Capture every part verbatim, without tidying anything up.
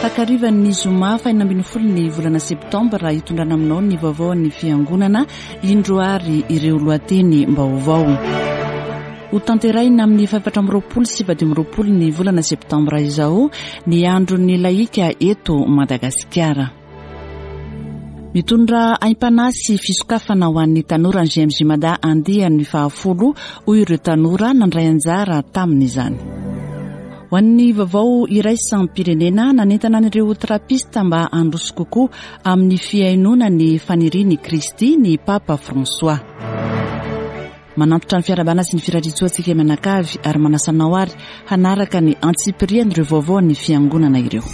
Takarivan'ny zoma fahenina ambin'ny folo ny volana septambra hitondrana aminao ny vaovaon'ny fiangonana, indro ary ireo lohatenim-baovao. Ho tanterahina amin'ny fahefatra amby roapolo sy fahadimy amby roapolo ny volana septambra izao ny andron'ny lahika eto Madagasikara. Mitondra aim-panahy sy fisokafana ho an'ny tanora ny G M J Mada andiany fahafolo, hoy ireo tanora nandray anjara tamin'izany. Ho an'ny vaovao iraisam-pirenena, nanentana an'ireo trapista mba handroso kokoa amin'ny fihainoana ny fanirian'i Kristy ny Papa François. Manantitra ny fiarahabana sy ny firariantsoa antsika mianakavy ary manasa anao ary hanaraka ny antsipirian'ireo vaovao ny fiangonana ireo.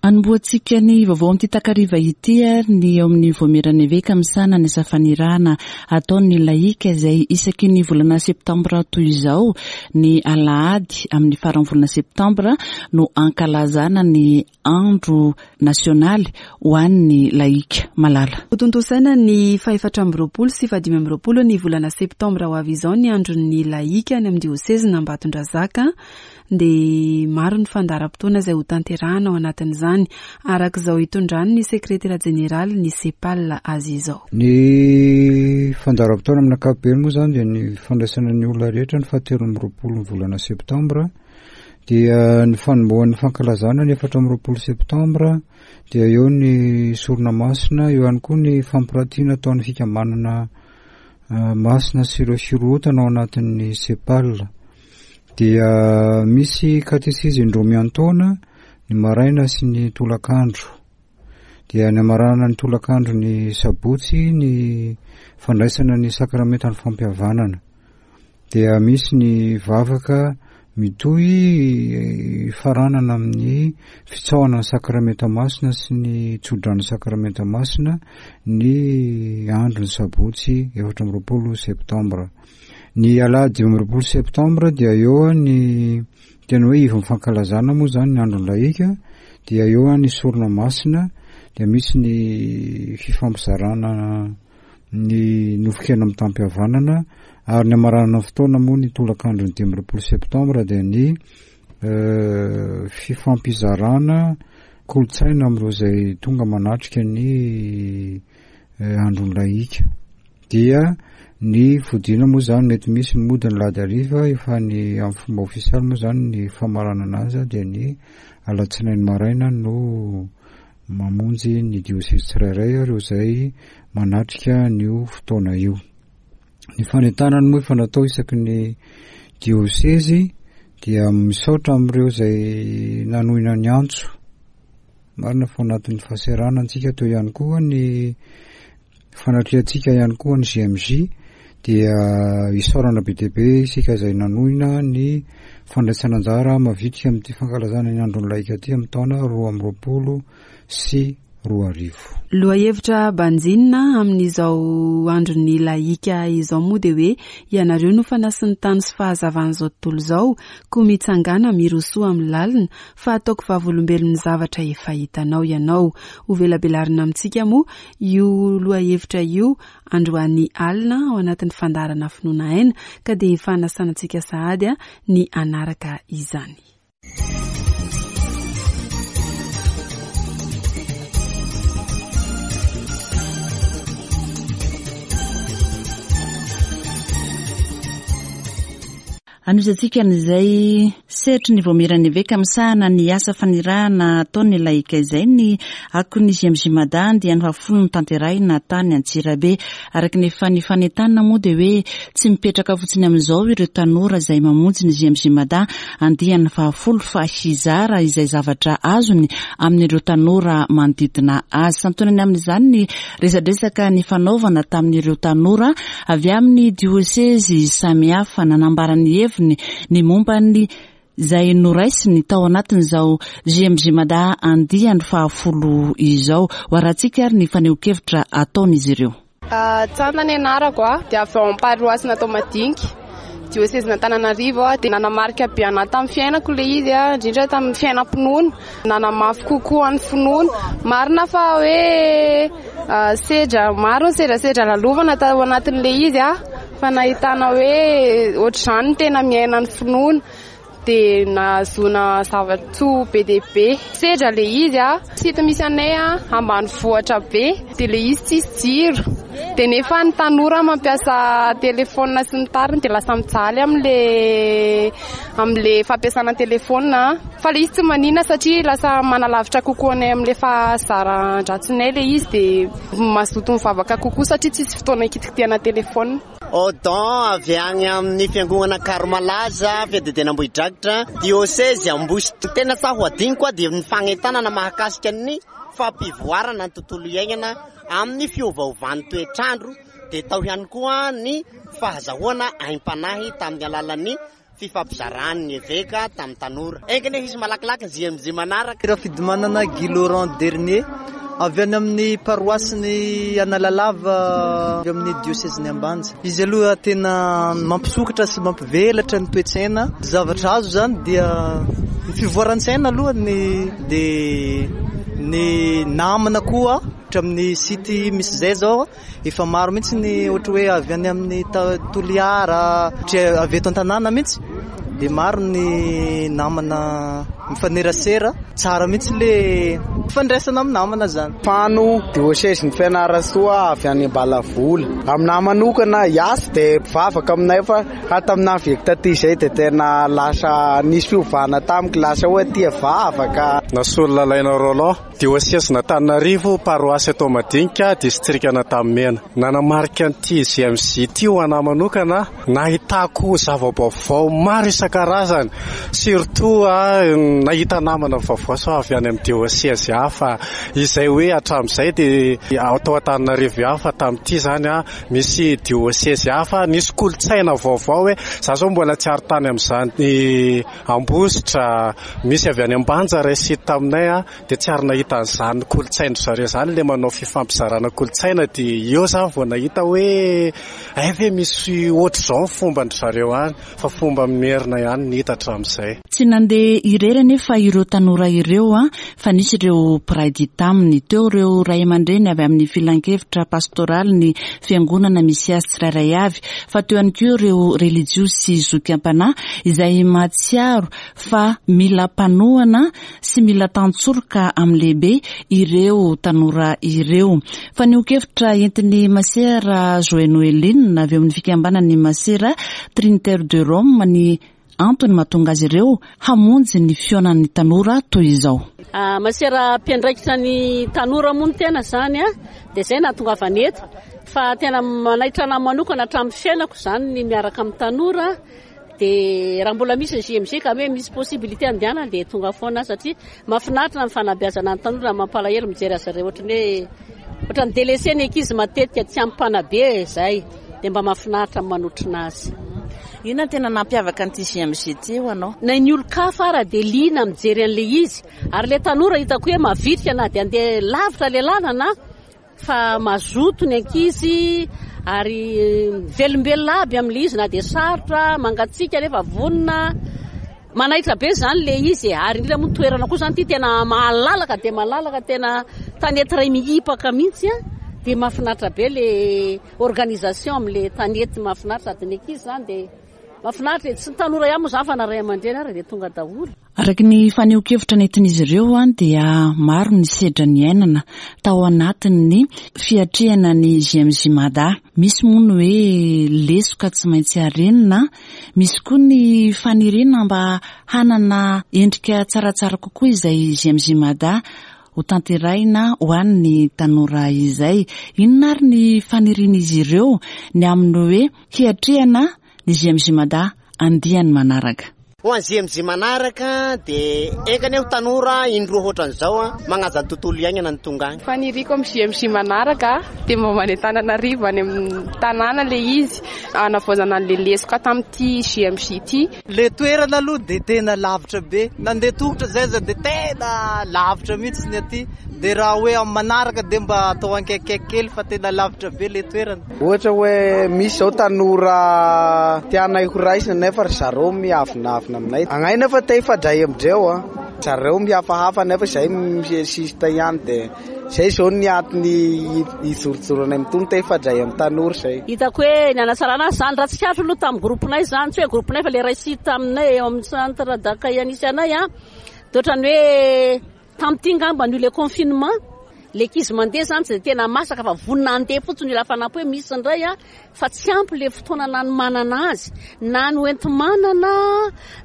Anombohantsika ny vaovao amin'ity takariva ity ary ny eo amin'ny Vaomieran'ny Eveka misahana ny asa fanirahana ataon'ny lahika izay isaky ny volana septambra toy izao, ny alahady amin'ny faran'ny volana septambra no ankalazana ny andro nasionaly ho an'ny lahika malala. Hotontosaina ny fahefatra amby roapolo sy fahadimy amby roapolo ny volana septambra ho avy izao ny andron'ny lahika any amin'ny diosezy Ambatondrazaka. Dia maro ny fandaharam-potoana izay ho tanterahana ao anatin'izany, araka izao hitondrany ny sekretera jeneraly ny SEPAL azy izao. Ny fandaharam-potoana amin'ny ankapobeny moa izany dia ny fandraisana ny olona rehetra ny fahatelo amby roapolo ny volana septambra, dia ny fanombohan'ny fankalazana ny efatra amby roapolo septambra, dia eo ny sorona masina, eo ihany koa ny fampiratiana ataon'ny fikambanana, eh, masina sy ireo firohotana ao anatin'ny SEPAL. Dia misy katesizy indroa miantaona, ny maraina sy ny tolakandro. Dia ny amaranana ny tolakandro ny sabotsy ny fandraisana ny sakramentan'ny fampihavanana. Dia misy ny vavaka mitohy faranana amin'ny fitsaohana ny sakramenta masina sy ny tsodrano sakramenta masina ny andro ny sabotsy efatra amby roapolo septambra. Ny alahady dimy amby roapolo septambra dia eo ny tena hoe ivon'ny fankalazana moa izany ny andron'ny lahika, dia eo ny sorona masina, dia misy ny fifampizarana ny nofon-kena mitam-pihavanana, ary ny amaranana fotoana moa ny tolakandro ny dimy amby roapolo septambra dia ny, eh, fifampizarana kolontsaina amin'ireo izay tonga manatrika ny, eh, andron'ny lahika. Dia ny fodiana moa izany mety misy ny mody ny alahady hariva, efa ny amin'ny fomba ofisialy moa izany ny famaranana azy dia ny alatsinainy maraina no mamonjy ny diosezy tsirairay ireo izay manatrika an'io fotoana io. Ny fanentanana moa efa natao isaky ny diosezy, dia misaotra amin'ireo izay nanohina ny antso. Marina fa anatin'ny fahasahiranana antsika teo ihany koa ny fanatrehantsika ihany koa ny G M J, dia isaorana be dia be isika izay nanohina ny fandraisana anjara mavitrika amin'ity fankalazana ny andron'ny lahika ity amin'ny taona roa amby roapolo sy roa arivo. Lohahevitra banjinina amin'izao andron'ny lahika izao moa dia hoe ianareo no fanasin'ny tany sy fahazavan'izao tontolo izao, koa mitsangàna mirosoa amin'ny lalina fa ataoko vavolombelon'ny zavatra efa hitanao ianao. Ho velabelarina amintsika moa io lohahevitra io androany alina ao anatin'ny fandaharana finoana aina, ka dia efa hanasana antsika sahady a, ny hanaraka izany. Anohizantsika an'izay sehatry ny Vaomieran'ny Eveka misahana ny asa fanirahana ataon'ny lahika izay ny akon'ny G M J Mada dia ny fahafolo notanterahina tany Antsirabe. Araka ny efa nifanentanana moa dia hoe tsy mipetraka fotsiny amin'izao ireo tanora izay mamonjy ny G M J Mada andiany fahafolo fa hizara izay zavatra azony amin'ireo tanora manodidina azy. Santonany amin'izany ny resadresaka nifanaovana tamin'ireo tanora avy amin'ny diosezy samihafa nanambara ny heviny ny momba ny izay noraisiny tao anatin'izao G M J Mada andiany fahafolo izao. Ho arahantsika ary ny fanehoan-kevitra ataon'izy ireo. Ah, Tsana ny anarako a, dia avy ao amin'ny paroasy natao Madinika, diosezy Antananarivo a, dia nanamarika be anahy tamin'ny fiainako ilay izy a, indrindra tamin'ny fiainam-pinoana, nanamafy kokoa ny finoana. Marina fa hoe, Sedra maro ny sedrasedra lalovana tao anatin'ilay izy a, fa nahitana hoe ohatr'izany no tena miaina ny finoana. Dia nahazoana zava-tsoa be dia be. Sedra ilay izy a, site misy anay a, ambanivohitra be, dia ilay izy tsisy jiro. Dia nefa ny tanora mampiasa telefaonina sy ny tariny dia lasa mijaly amin'ilay amin'ilay fampiasana telefaonina. Fa ilay izy tsy maninona satria lasa manalavitra kokoa anay amin'ilay fahazaran-dratsinay ilay izy, dia mazoto mivavaka kokoa satria tsisy fotoana hikitikitihana telefaonina. Odon avy any amin'ny fiangonana Karmalaza, fiadidiana Ambohidrakitra, diocèse Ambositra. Tena tsy ho adinoko dia ny fanentanana mahakasika ny fampivoarana ny tontolo iainana amin'ny fiovaovan'ny toetrandro, dia tao ihany koa ny fahazahoana aim-panahy tamin'ny alalan'ny fifampizaràn'ny eveka tamin'ny tanora. Enga anie hisy malakilaky ny J M J manaraka. Rafidimanana Guy Laurent Dernier avy any amin'ny paroasy Analalava avy amin'ny diocèse Ambanja. Izy aloha tena mampisokatra sy mampivelatra ny toe-tsaina. Zavatra azo zany dia ny fivoaran-tsaina aloha ny dia ny namana koa hatramin'ny site misy zay zao efa maro mihitsy ny ohatra hoe avy any amin'ny Toliara, ohatra avy eto an-tanàna mihitsy dia maro ny namana mifanerasera. Tsara mihitsy le fifandraisana amin'ny namana zany. Fano diocèse ny Fianarantsoa avy any Ambalavola. Aminahy manokana hiasa dia mpivavaka aminay fa hatamin'ny avy taty izay dia tena lasa nisy fiovana tamiko, lasa hoe tia vavaka. Nasolo Lalaina Roland, diocèse Antananarivo, paroasy atao Madinika, distrikan'Antanimena. Nanamarika an'ity J M J ity ho anahy manokana, nahitako zava-baovao maro isan-karazany, surtout nahita namana vaovao sao avy any amin'ny diocèse hafa, izay hoe hatramin'izay dia atao Antananarivo hafa, tamin'ity zany a misy diocèse hafa, nisy kolontsaina vaovao hoe za zao mbola tsy ary tany amin'izany Ambositra, misy avy any Ambanja ray sy taminay a, dia tsy ary nahita an'izany kolontsain-dry zareo izany, ilay manao fifampizarana kolontsaina, dia eo za vao nahita hoe ay ve misy ohatr'izao ny fomban-dry zareo any, fa fomba merina ihany ny hita hatramin'izay. Tsy nandeha irery anefa ireo tanora ireo a, fa nisy ireo mpiray dia taminy. Teo ireo ray aman-dreny avy amin'ny filankevitra pastoraly ny fiangonana misy azy tsirairay avy, fa teo ihany koa ireo relijiosy sy zoky am-panahy izay mahatsiaro fa mila mpanohana sy mila tantsoroka amin'ny lehibe ireo tanora ireo. Fanehoan-kevitra entin'ny Masera Joël Noeline avy eo amin'ny fikambanan'ny Masera Trinitaire de Rome ny antony mahatonga azy ireo hamonjy ny fihaonan'ny tanora toy izao. Ah, Masera mpiandraikitra ny tanora moa ny tena zany a, dia izay nahatongavana eto, fa tena manaitra anahy manokana hatramin'ny fiainako zany ny miaraka amin'ny tanora. Dia raha mbola misy ny J M J ka hoe misy possibilité andehanana dia tonga foana satria mahafinaritra ny fanabeazana ny tanora, mampalahelo mijery azy ireo ohatran'ny hoe ohatran'ny délaissé ny ankizy matetika tsy ampy mpanabe izay, dia mba mahafinaritra ny manotrona azy. Inona no tena nampiavaka an'ity J M J ity ho anao? Na ny olon-kafa ara dia liana mijery an'ilay izy, ary ilay tanora hitako hoe mavitrika na dia andeha lavitra ilay lalana fa mazoto ny ankizy ary velombelona aby amin'ilay izy na dia sarotra, mangatsiaka nefa vonona. Manaitra be zany ilay izy e, ary indrindra moa toerana koa zany ity tena malalaka dia malalaka, tena tanety iray mihipaka mihitsy a, dia mahafinaritra be ilay organisation amin'ilay tanety, mahafinaritra sady ny ankizy zany dia mahafinaritra e. Tsy ny tanora ihany moa zany fa na ray aman-dreny ary dia tonga daholo. Araka ny fanehoan-kevitra nentin'izy ireo a, dia maro ny sedra niainana tao anatin'ny fiatrehana ny J M J Mada. Misy moa ny hoe lesoka tsy maintsy arenina, misy koa ny faniriana mba hanana endrika tsaratsara kokoa izay J M J Mada ho tanterahina ho an'ny tanora izay. Inona ary ny fanirian'izy ireo ny amin'ny hoe hiatrehana ny J M J Mada andiany manaraka? Ho an'ny J M J manaraka dia enga anie ho tanora indroa ohatran'izao a, magnaja ny tontolo iainana ny tonga any. Faniriako amin'ny J M J manaraka dia mba mandeha Antananarivo any amin'ny tanàna ilay izy, hanavaozana an'ilay lesoka tamin'ity J M J ity. Le toerana aloha dia tena lavitra be, nandeha tongotra zay za dia tena lavitra mihitsy ny aty, dia raha hoe amin'ny manaraka dia mba atao ankaikaiky kely fa tena lavitra be le toerana. Ohatra hoe misy zao tanora tianay ho raisina nefa ry zareo miavonavona aminay. Agnay nefa te hifandray amindreo a, Zareo mihafahafa nefa izay misisita ihany, dia izay izao ny antony hijorojoronay mitony te hifandray amin'ny tanora izay. Hitako hoe ny hanatsarana azy izany, raha tsikaritra aloha tamin'ny groupe-nay izany, tsy hoe groupe-nay fa le ray site taminay eo amin'ny centre d'accueil nisy anay a, dia ohatran'ny hoe tamin'ity ngamba ny le confinement, le ankizy mandeha izany tsy dia tena masaka fa vonona handeha fotsiny io lafa-nampy hoe misy indray a, fa tsy ampy le fotoana nanomanana azy, na ny hoenti-manana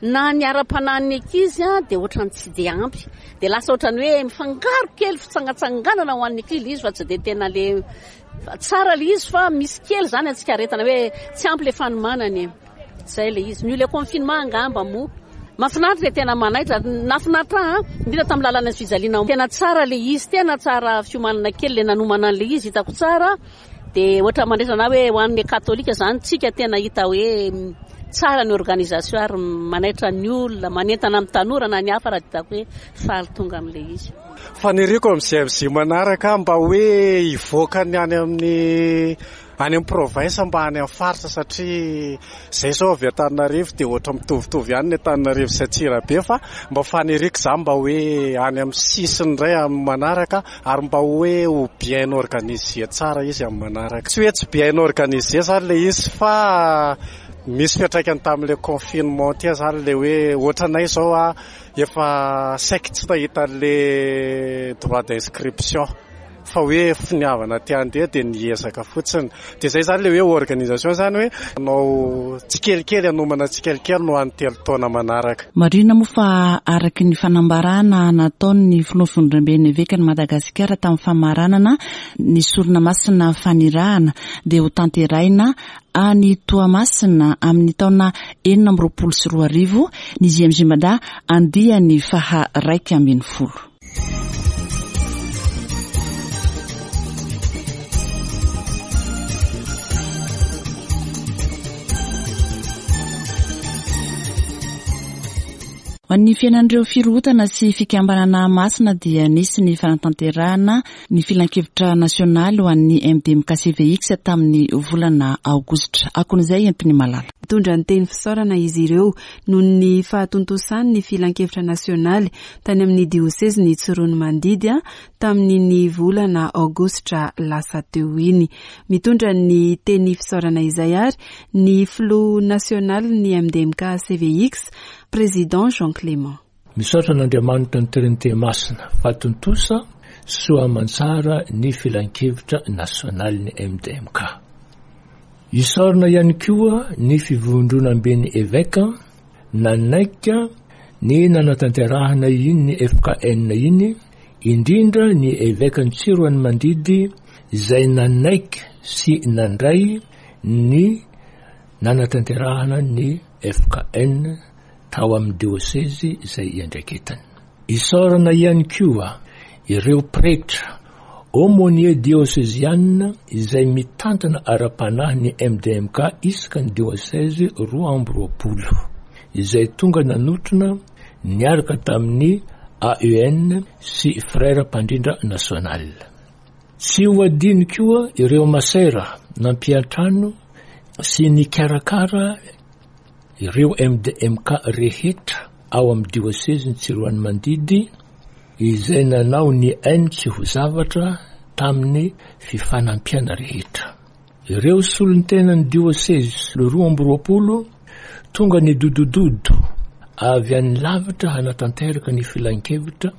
na ny ara-panahin'ny ankizy a, dia ohatran'ny tsy dia ampy, dia lasa ohatran'ny hoe mifangaro kely fitsangatsanganana ho an'ny ankizy izy fa tsy dia tena le tsara le izy, fa misy kely izany antsika aretina hoe tsy ampy le fanomanana e. Zay le izy, ny le confinement angamba moa mahafinaritra, tena manaitra, nahafinaritra ahy indrindra tamin'ny lalana sy fijaliana, tena tsara le izy, tena tsara fiomanana kely le nanomana an'le izy, hitako tsara. Dia ohatra mandraisana hoe ho an'ny katolika izany tsika tena hita hoe tsara ny organisation ary manaitra ny olona, manentana amin'ny tanora na ny hafa, raha hitako hoe faly tonga amin'le izy. Faniriako amin'ny G M J manaraka mba hoe hivoaka ny any amin'ny any amin'ny province mba any amin'ny faritra, satria zay zao avy Antananarivo dia ohatra mitovitovy ihany ny Antananarivo sy Antsirabe, fa mba faniriako za mba hoe any amin'ny sisiny indray amin'ny manaraka, ary mba hoe ho bien organisé tsara izy amin'ny manaraka. Tsy hoe tsy bien organisé zany le izy, fa misy fiantraikany tamin'le confinement ty zany, le hoe ohatranay zao a efa saiky tsy nahita an'le droit d'inscription, fa hoe finiavana te handeha dia niezaka fotsiny, dia zay zany le hoe organisation zany hoe anao tsikelikely, anomana tsikelikely no any telo taona manaraka. Marina moa fa araky ny fanambarana nataon'ny filoha fivondromben'ny evekan'i Madagasikara tamin'ny famaranana ny sorona masina fanirahana, dia ho tanterahina any Toamasina amin'ny taona enina amby roapolo sy roa arivo ny G M J Mada andiany faha raika ambin'ny folo. Ho an'ny fiainan'ireo firohotana sy fikambanana masina dia nisy ny fanatanterahana ny filankevitra nasionaly ho an'ny M D M K C V X tamin'ny volana aogositra. Akon'izay entiny malala. Mitondra ny teny fisaorana izy ireo noho ny fahatontosany ny filankevitra nasionaly tany amin'ny diosezy ny Tsiroanomandidy a tamin'ny volana aogositra lasa teo iny. Mitondra ny teny fisaorana izay ary ny filoha nasionaly ny M D M K C V X, président Jean Clément. Misaotra an'Andriamanitra ny Trinité masina fa tontosa soa aman-tsara ny filankevitra nasionaly ny M D M K. Isaorana ihany koa ny fivondronamben'ny eveka nanaika ny nanatanterahana iny ny F K N iny, indrindra ny eveka ny Tsiroanomandidy izay nanaiky sy nandray ny nanatanterahana ny F K N tao amin'ny diosezy izay iandraiketany. Isaorana ihany koa ireo pretra aumônier diocésain izay mitantana ara-panahy ny M D M K isaka ny diosezy roa amby roapolo izay tonga nanotrona niaraka tamin'ny A E N sy frère mpandrindra national. Tsy ho adino koa ireo masera nampiantrano sy nikarakara ireo M D M K rehetra ao amin'ny diosezy ny Tsiroanomandidy izay nanao ny ainy tsy ho zavatra tamin'ny fifanampiana rehetra. Ireo solontenan'ny diosezy roa amby roapolo tonga ny dodododo avy any lavitra hanatanteraka ny filankevitra,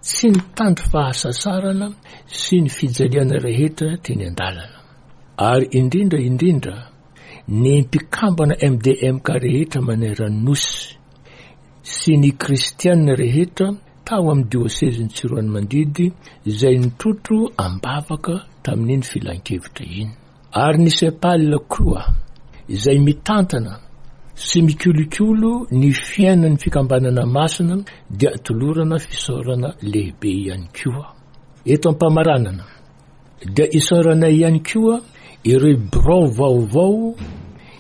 tsy nitandro fahasasarana sy ny fijaliana rehetra teny an-dalana, ary indrindra indrindra ny mpikambana M D M K rehetra manerana ny nosy sy ny kristianina rehetra tao amin'ny diosezy ny Tsiroanomandidy izay nitrotro ambavaka tamin'iny filankevitra iny, ary ny SEPAL koa izay mitantana sy mikolokolo ny fiainan'ny fikambanana masina dia tolorana fisaorana lehibe ihany koa. Eto am-pamaranana dia isaorana ihany koa ireo birao vaovao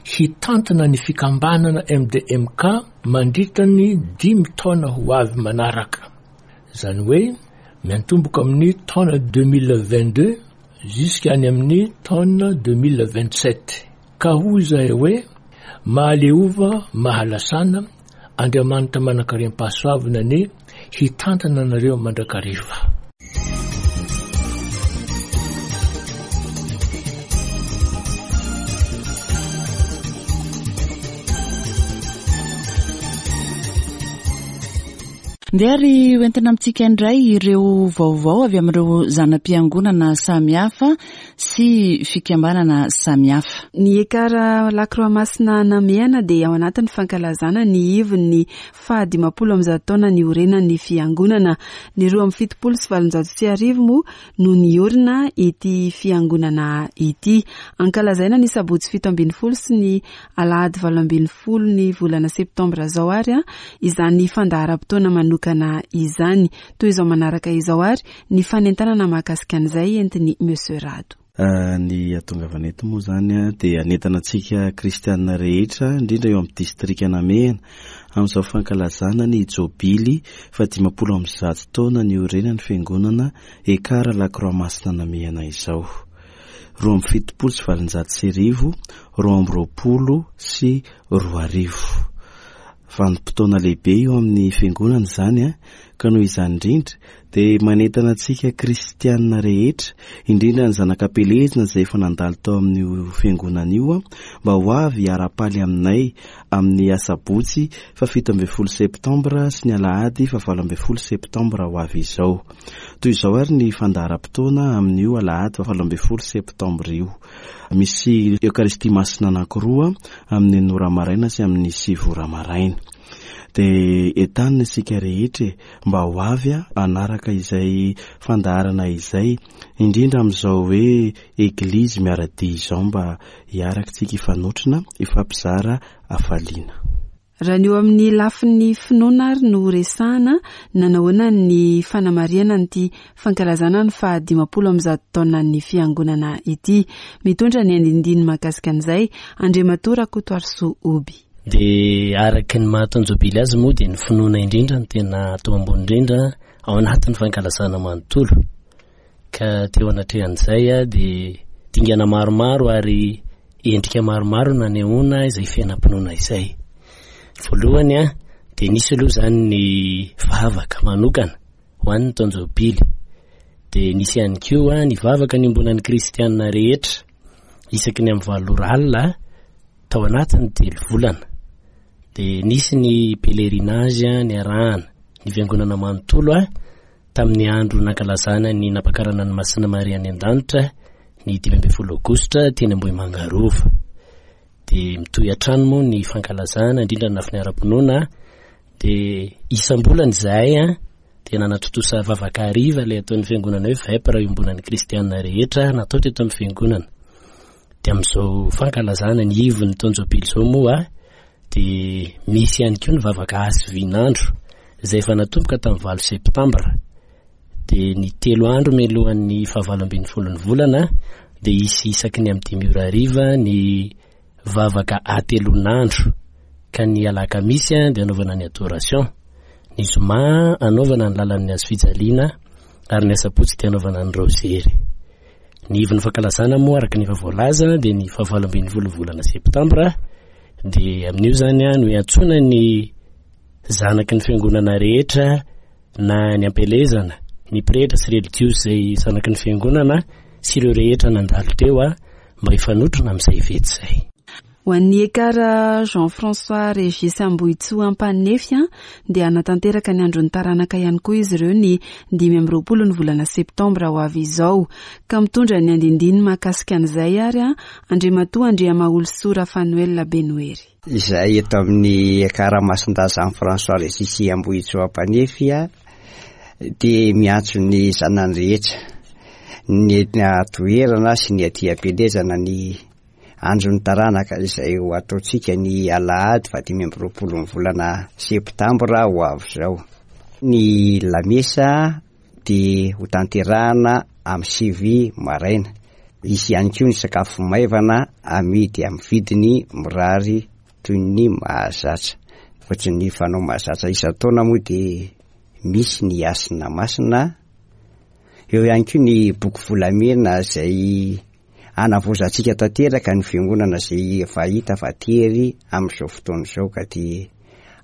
hitantana ny fikambanana M D M K mandritra ny dimy taona ho avy manaraka, zany hoe miantomboka amin'ny taona deux mille vingt deux jusqu'à any amin'ny taona deux mille vingt sept, ka hoy zahay hoe mahaleova mahalasana, Andriamanitra manan-karem-pahasoavana ny hitantana anareo mandrakariva. Ndeha ary hoentina amintsika indray ireo vaovao avy amin'ireo zana-piangonana samihafa sy fikambanana samihafa. Ny Ekar Lakroa Masina Namehana dia ao anatin'ny fankalazana ny ivon'ny fahadimampolo amby zato taona niorenan'ny fiangonana. Ny roa amby fitopolo sy valonjato sy arivo moa no niorina ity fiangonana ity. Ankalazaina ny sabotsy fito ambin'ny folo sy ny alahady valo ambin'ny folo ny volana septambra izao ary izany fandaharam-potoana manokana izany. Toy izao manaraka izao ary ny fanentanana mahakasika an'izay entin'ny Monsieur Rado. Ny atongavana eto moa zany dia anentana antsika kristianina rehetra, indrindra eo amin'ny distrika Namehana, amin'izao fankalazana ny jobily fahadimampolo amby zato taona niorenan'ny fiangonana Ekar Lakroa Masina Namehana izao. Roa amby fitopolo sy valonjato sy arivo, roa amby roapolo sy roa arivo. Vanim-potoana lehibe eo amin'ny fiangonana izany, ka noho izany indrindra dia manentana antsika kristianina rehetra, indrindra ny zanak'ampelezina izay efa nandalo tao amin'io fiangonana io, mba ho avy hiara-paly aminay amin'ny asabotsy fahafito ambin'ny folo septambra sy ny alahady fahavalo ambin'ny folo septambra ho avy izao. Toy izao ary ny fandaharam-potoana amin'io alahady fahavalo ambin'ny folo septambra io. Misy Eokaristia masina anankiroa amin'ny enina ora maraina sy amin'ny sivy ora maraina. Dia entanina isika rehetra e, mba ho avy hanaraka izay fandaharana izay, indrindra amin'izao hoe eglizy miara-dia izao, mba hiaraka isika hifanotrona, hifampizara hafaliana. Raha ny eo amin'ny lafin'ny finoana ary no resahana, nanahoana ny fanamarihana an'ity fankalazana ny fahadimampolo amby zato taonan'ny fiangonana ity. Mitondra ny andindiny mahakasika an'izay Andriamatoa Rakotoarisoa Oby. Dia araka ny maha-taon-jobily azy moa dia ny finoana indrindra no tena atao ambony indrindra ao anatin'ny fankalazana manontolo. Ka teo anatrehan'izay dia dingana maromaro ary endrika maromaro nanehoana izay fiainam-pinoana izay. Voalohany a, dia nisy aloha izany ny vavaka manokana ho an'ny taon-jobily. Dia nisy ihany koa ny vavaka niombonan'ny kristianina rehetra isaky ny amin'ny valo ora alina tao anatin'ny telo volana. Dia nisy ny pèlerinage niarahana ny fiangonana manontolo a, tamin'ny andro nankalazana ny nampakarana ny Masina Maria any an-danitra ny dimy ambin'ny folo aogositra teny Ambohimangarova. Dia mitohy hatrany moa ny fankalazana indrindra ny lafiny ara-pinoana. Dia isam-bolana izahay a, dia nanatontosa vavaka hariva ilay ataon'ny fiangonana hoe vepra iombonan'ny kristianina rehetra natao teto amin'ny fiangonana. Dia amin'izao fankalazana ny ivon'ny taon-jobily izao moa dia misy ihany koa ny vavaka hasivin'andro izay efa natomboka tamin'ny valo septambra. Dia ny telo andro mialohan'ny fahavalo ambin'ny folon'ny volana dia hisy isaky ny amin'ny dimy ora hariva ny vavaka hatelon'andro, ka ny alakamisy dia anaovana ny adoration, ny zoma anaovana ny lalan'ny hazo fijaliana ary ny asabotsy dia anaovana ny raozery. Ny ivon'ny fankalazana moa araka ny efa voalaza dia ny fahavalo ambin'ny folo volana septambra. Dia amin'io zany no iantsoana ny zanaky ny fiangonana rehetra na ny ampielezana, ny pretra sy religiosy izay zanaky ny fiangonana sy ireo rehetra nandalo teo a, mba hifanotrona amin'izay fety izay. Ho an'ny Ekar Jean-François Régis Ambohitsoa Ampanefy dia hanatanteraka ny andron'ny taranaka ihany koa izy ireo ny dimy amby roapolo ny volana septambra ho avy izao. Ka mitondra ny andindiny mahakasika an'izay ary Andriamatoa Andriamaholisoa Rafanoel Benoery. Izay eto amin'ny Ekar Masindahy Jean-François Régis Ambohitsoa Ampanefy dia miantso ny zanany rehetra, ny toerana sy ny aty am-pielezana ny andron'ny taranaka izay ho ataontsika ny alahady fahadimy amby roapolo ny volana septambra ho avy izao. Ny lamesa dia ho tanterahana amin'ny sivy maraina. Hisy ihany koa ny sakafo maivana amidy amin'ny vidiny mirary toy ny mahazatra. Ankoatry ny fanao mahazatra isan-taona moa dia misy ny hasina masina. Eo ihany koa ny boky volamena izay anavozantsika tanteraka ny fiangonana izay efa hita fa tery amin'izao fotoana izao, ka dia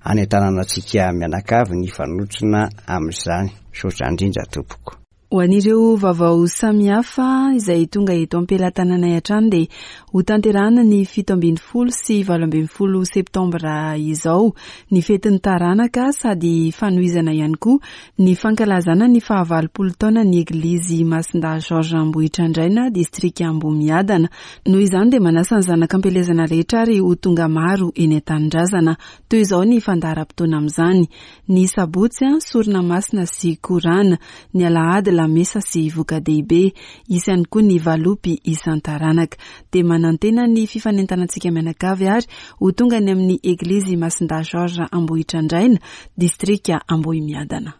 Anentanana antsika mianakavy ny hifanotrona amin'izany. Misaotra indrindra tompoko. Ho an'ireo vaovao samihafa izay tonga eto am-pelatananay hatrany dia hotanterahina ny fito ambin'ny folo sy valo ambin'ny folo septambra izao ny fetin'ny taranaka sady fanohizana ihany koa ny fankalazana ny fahavalopolo taona ny Eglizy Masindahy Georges Ambohitrandraina distrika Ambohimiadana. Noho izany dia manasa ny zanak'ampielezana rehetra ary ho tonga maro eny an-tanindrazana. Toy izao ny fandaharam-potoana amin'izany. Ny sabotsy, sorona masina sy korana. Ny alahady, lamesa sy voka-dehibe. Hisy ihany koa ny valopy isan-taranaka. Dia manantena ny fifanentanantsika mianakavy ary ho tonga any amin'ny Eglizy Masindahy Georges Ambohitrandraina, distrika Ambohimiadana.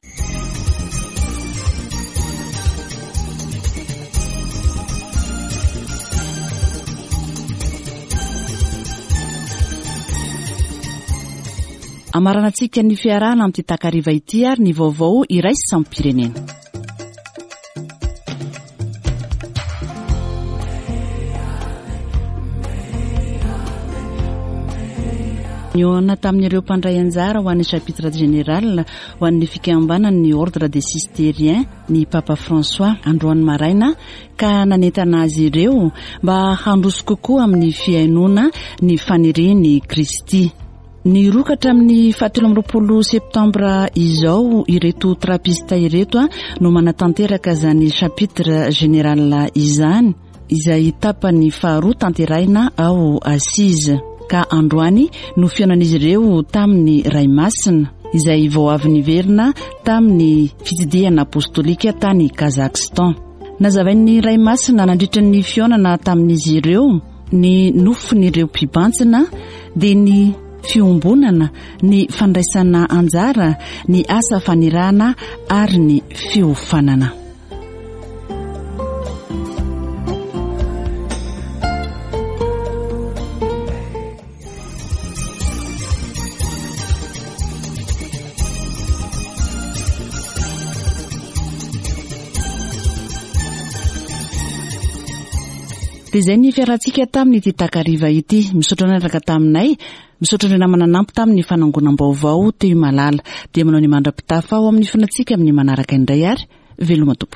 Amaranantsika ny fiarahana amin'ity takariva ity ary ny vaovao iraisam-pirenena. Nihaona tamin'ireo mpandray anjara ho an'ny chapitre général ho an'ny fikambanan'ny ordre des Cisterciens ny Papa François androany maraina ka nanentana azy ireo mba handroso kokoa amin'ny fihainoana ny fanirian'i Kristy. Niroka hatramin'ny fahatelo amby roapolo septambra izao ireto trapista ireto no manatanteraka izany chapitre général izany izay tapany faharoa tanterahina ao Assise. Ka androany no fihaonan'izy ireo tamin'ny Ray Masina izay vao avy niverina tamin'ny fitsidihana apostolika tany Kazakhstan. Nazavain'ny Ray Masina nandritra ny fihaonana tamin'izy ireo ny nofon'ireo mpibantsina dia ny fiombonana, ny fandraisana anjara, ny asa fanirahana ary ny fiofanana. Dia izay ny fiarahantsika tamin'ity takariva ity. Misaotra niaraka taminay, misaotra ny namana nanampy tamin'ny fanangonam-baovao teo Malala. Dia manao ny mandra-pitafa ao amin'ny fonantsika amin'ny manaraka indray ary veloma tompoko.